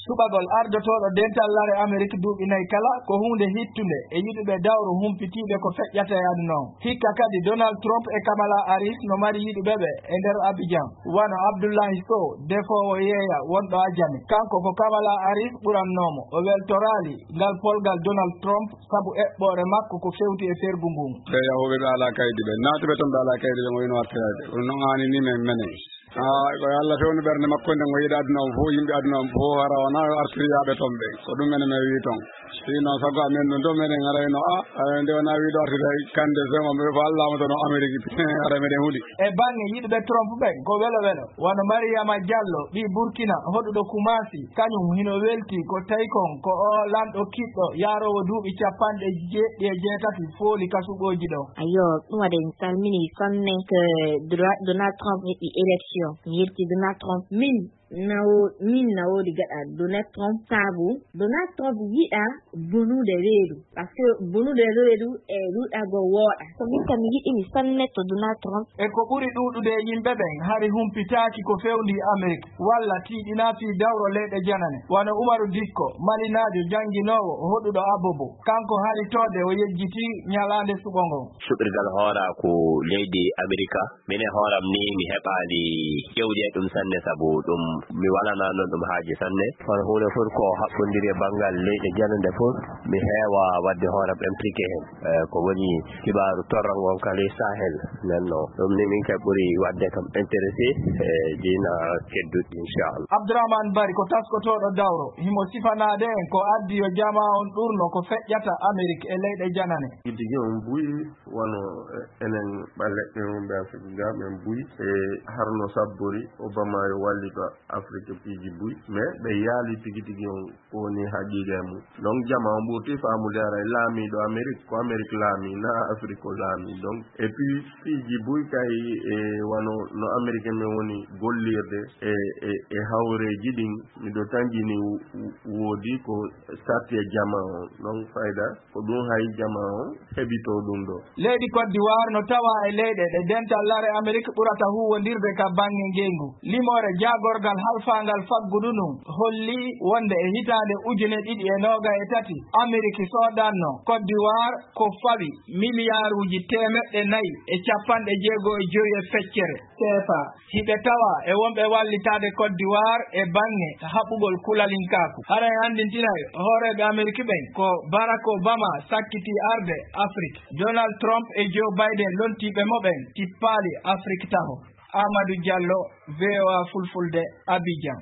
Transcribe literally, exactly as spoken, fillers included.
Suɓagol ardotooɗo dental lare Amerik duuɓi nayi kala ko huunde hittunde e yiɗuɓe dawro humpitiiɓe ko feƴƴata e aduna on. Hikka kadi Donald Trump e Kamala Harris no mari yiɗuɓe ɓe e nder Abidjan, wano Abdullahi Sow, defoowo yeeya wonɗo Ajami. Kanko ko Kamala Harris ɓurannoomo. O weltoraali ngal polgal Donald Trump sabu eɓɓoore makko ko fewti e fergu ngun. Ɓe yahuɓe ɓe alaa kaydi ɓe, naatuɓe toon ɓe alaa kaydi ɓe, mo wino artirade. Ɗum noon haani ni men menen. Ah, ko Allah fewndo ɓernde makko nden, o yiɗa aduna on fof, yimɓe aduna on fof, hara wona artiriyaaɓe toon ɓe. Ko ɗum menen men wi toon. Sinon, sago amen ɗum ɗo menen arayno, ah, ah, nde wona wiɗo artude hay kande sema, ɓe ko Allah mo toon Amerik, ara meɗen huɗi. E bange yiɗuɓe Trump ɓen, ko welo welo. Wano Mariama Diallo, ɓii Burkina, hoɗuɗo Kumasi, kañum hino welti ko tawi kon ko o lanɗo kiɗɗo, yaaroowo duuɓi capanɗe jeeɗiɗi e jeetati fooli ka suɓooji ɗo. Ayo, ɗum waɗi en salmini sonne ko Dra-, Donald Trump heɓi élection. Mi yelti Donald Trump. Min, na wo-, min na woodi gaɗa Donald Trump sabu Donald Trump yiɗa bonude reedu. Parce que bonude reedu e ruɗago wooɗa. Ko min kam mi yiɗi mi sonne to Donald Trump. E ko ɓuri ɗuuɗude e yimɓe ɓen hari humpitaaki ko fewndi Amerik, walla tiiɗinaa fii dawro leyɗe janane. Wano Umaru Dikko, malinaajo jannginoowo hoɗuɗo Abobo. Kanko hari toode o yejjiti ñalaande suɓo ngon. Suɓirgal hooraa ko leydi Amerika. Min e hooram ni mi heɓaali ƴewde ɗum sanne sabu ɗum mi walanaa noon ɗum haaji sanne. Kono huunde fof ko haɓɓondiri e banngal leyɗe janande fof, mi heewa waɗde hooram impliqué heen. Eh, ko woni kibaaru torra ngon ka ley Sahel. Nden no ɗum ni min kay ɓuri waɗde kam intéressé e diina kedduɗi, inchallah. Abdourahmane Bari ko taskotooɗo dawro, himo sifanaade en ko addi yo jamaa on ɗurno ko feƴƴata Amerik e leyɗe janane. Tigi on buy wano, eh, enen ɓaleɓɓe wonɓe Afrik ga, men buy, e harno sabbori Obama yo wallito Afrik piiji buy, mais ɓe yaali tigi tigi on ko woni haqiqa e mum. Donc, jama on ɓurti faamude ara e laamiiɗo Amerik, ko Amerik laami, na Afrik ko laami. Donc, et puis, piiji buy kay, e wano no Amerik men woni gollirde e, e, e hawreeji ɗin, miɗo tanjini wo-, woodi ko sarti e jama on. Donc, fayda ko ɗum hay jama on heɓito ɗum ɗo. Leydi Côte d'Ivoire no tawa e leyɗe ɗe dental lare Amerik ɓurata huuwondirde ka baŋŋe ngeyngu. Limoore jaagorgal halfaangal faggudu ndun holli wonde e hitaande ujune ɗiɗi e noogay e tati, Amerik soodanno Côte d'Ivoire ko fawi miliyaaruuji teemeɗɗe nayi e capanɗe jeego e jowi e feccere seefa. Hiɓe tawa e wonɓe wallitaade Côte d'Ivoire e baŋŋe haɓugol kulalinkaaku. Hara en anndintinay hooreeɓe Amerik ɓen ko Barack Obama sakkitii arde Afrik. Donald Trump e Joe Biden lontiiɓe mo ɓen tippaali Afrik taho. Amadou Diallo, V O A Fulfulde, Abidjan.